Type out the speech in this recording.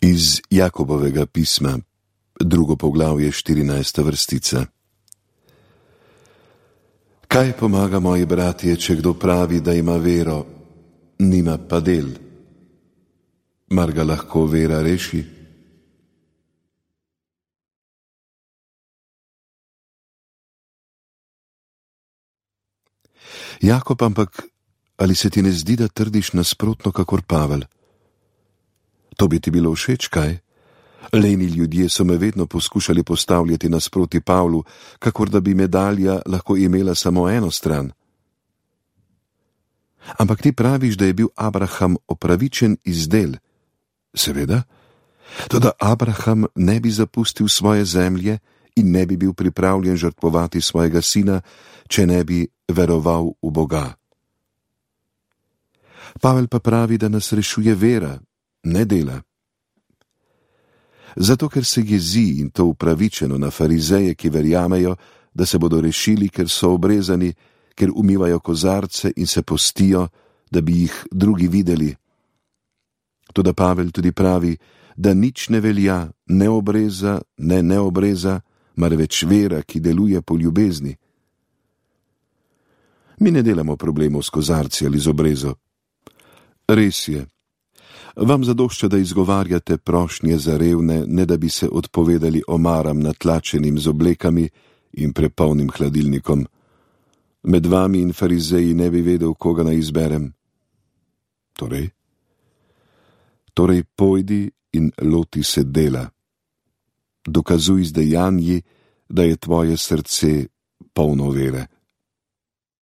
Iz Jakobovega pisma, 2. poglavje, 14. vrstica. Kaj pomaga, moji bratje, če kdo pravi, da ima vero, nima pa del? Mar ga lahko vera reši? Jakob, ampak ali se ti ne zdi, da trdiš nasprotno kakor Pavel? To bi ti bilo všeč, kaj? Leni ljudje so me vedno poskušali postavljati nasproti Pavlu, kakor da bi medalja lahko imela samo eno stran. Ampak ti praviš, da je bil Abraham opravičen iz del. Seveda, toda Abraham ne bi zapustil svoje zemlje in ne bi bil pripravljen žrtvovati svojega sina, če ne bi veroval v Boga. Pavel pa pravi, da nas rešuje vera, ne dela. Zato, ker se jezi, in to upravičeno, na farizeje, ki verjamejo, da se bodo rešili, ker so obrezani, ker umivajo kozarce in se postijo, da bi jih drugi videli. Toda Pavel tudi pravi, da nič ne velja, ne obreza, ne neobreza, marveč vera, ki deluje po ljubezni. Mi ne delamo problemov s kozarci ali z obrezo. Res je. Vam zadošča, da izgovarjate prošnje za revne, ne da bi se odpovedali omaram natlačenim z oblekami in prepolnim hladilnikom. Med vami in farizeji ne bi vedel, koga naj izberem. Torej pojdi in loti se dela. Dokazuj z dejanji, da je tvoje srce polno vere.